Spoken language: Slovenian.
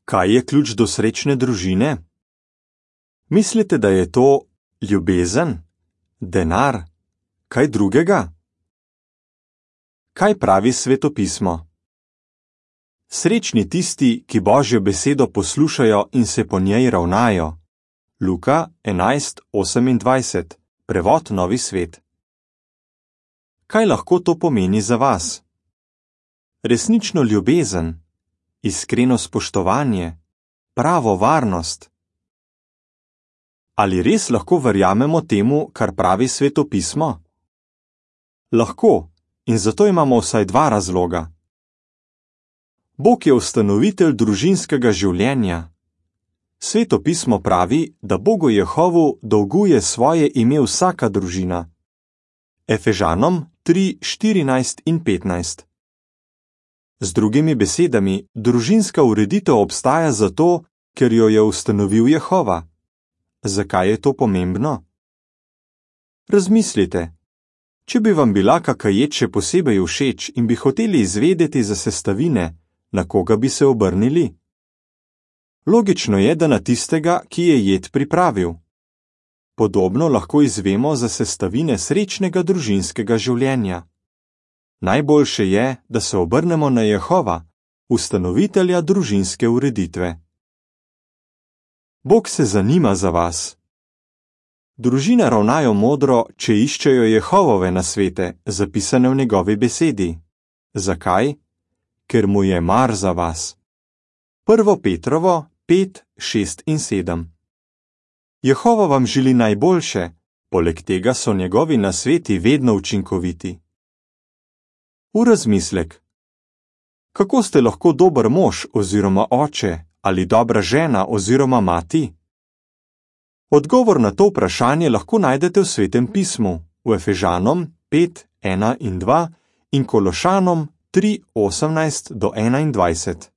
Kaj je ključ do srečne družine? Mislite, da je to ljubezen, denar, kaj drugega? Kaj pravi Svetopismo? Srečni tisti, ki Božjo besedo poslušajo in se po njej ravnajo. Luka 11:28, prevod Novi svet. Kaj lahko to pomeni za vas? Resnično ljubezen, iskreno spoštovanje, pravo varnost. Ali res lahko verjamemo temu, kar pravi Svetopismo? Lahko, in zato imamo vsaj dva razloga. Bog je ustanovitelj družinskega življenja. Svetopismo pravi, da Bogu Jehovu dolguje svoje ime vsaka družina. Efežanom 3:14 in 15. Z drugimi besedami, družinska ureditev obstaja zato, ker jo je ustanovil Jehova. Zakaj je to pomembno? Razmislite. Če bi vam bila kaka jed še posebej všeč in bi hoteli izvedeti za sestavine, na koga bi se obrnili? Logično je, da na tistega, ki je jed pripravil. Podobno lahko izvemo za sestavine srečnega družinskega življenja. Najboljše je, da se obrnemo na Jehova, ustanovitelja družinske ureditve. Bog se zanima za vas. Družine ravnajo modro, če iščejo Jehovove nasvete, zapisane v njegovi besedi. Zakaj? Ker mu je mar za vas. 1. Petrovo 5:6 in 7. Jehova vam želi najboljše, poleg tega so njegovi nasveti vedno učinkoviti. V razmislek. Kako ste lahko dober mož oziroma oče ali dobra žena oziroma mati? Odgovor na to vprašanje lahko najdete v Svetem pismu, v Efežanom 5:1 in 2 in Kološanom 3:18 do 21.